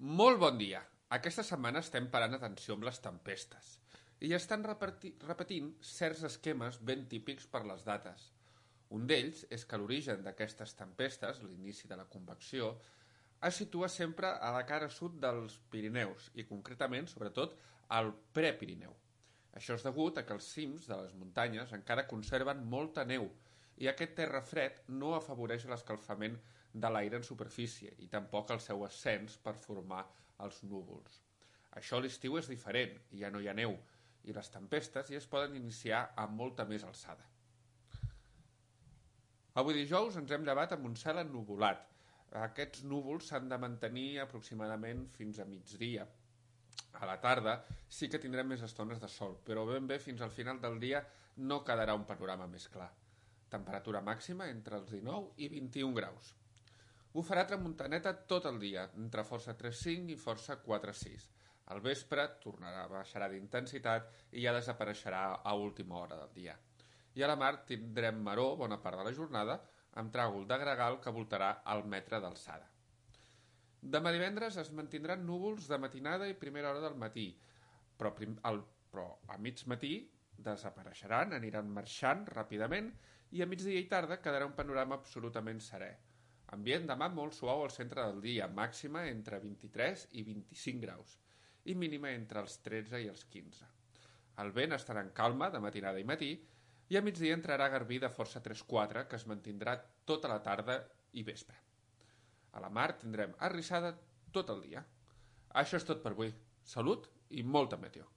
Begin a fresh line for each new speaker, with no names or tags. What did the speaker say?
Molt bon dia! Aquesta setmana estem parant atenció amb les tempestes i estan repetint certs esquemes ben típics per les dates. Un d'ells és que l'origen d'aquestes tempestes, l'inici de la convecció, es situa sempre a la cara sud dels Pirineus i concretament, sobretot, al Prepirineu. Això és degut a que els cims de les muntanyes encara conserven molta neu i aquest terra fred no afavoreix l'escalfament de l'aire en superfície i tampoc el seu ascens per formar els núvols. Això a l'estiu és diferent, ja no hi ha neu, i les tempestes ja es poden iniciar amb molta més alçada. Avui dijous ens hem llevat amb un cel ennuvolat. Aquests núvols s'han de mantenir aproximadament fins a migdia. A la tarda sí que tindrem més estones de sol, però ben bé fins al final del dia no quedarà un panorama més clar. Temperatura màxima entre els 19 i 21 graus. Bufarà tramuntaneta tot el dia, entre força 3,5 i força 4,6. Al vespre baixarà d'intensitat i ja desapareixerà a última hora del dia. I a la mar tindrem maror bona part de la jornada, amb tràgol de gregal que voltarà al metre d'alçada. Demà divendres es mantindran núvols de matinada i primera hora del matí, però a mig matí desapareixeran, aniran marxant ràpidament i a migdia i tarda quedarà un panorama absolutament serè. Ambient demà molt suau al centre del dia, màxima entre 23 i 25 graus i mínima entre els 13 i els 15. El vent estarà en calma de matinada i matí i a migdia entrarà garbí de força 3-4 que es mantindrà tota la tarda i vespre. A la mar tindrem arrissada tot el dia. Això és tot per avui. Salut i molta meteo.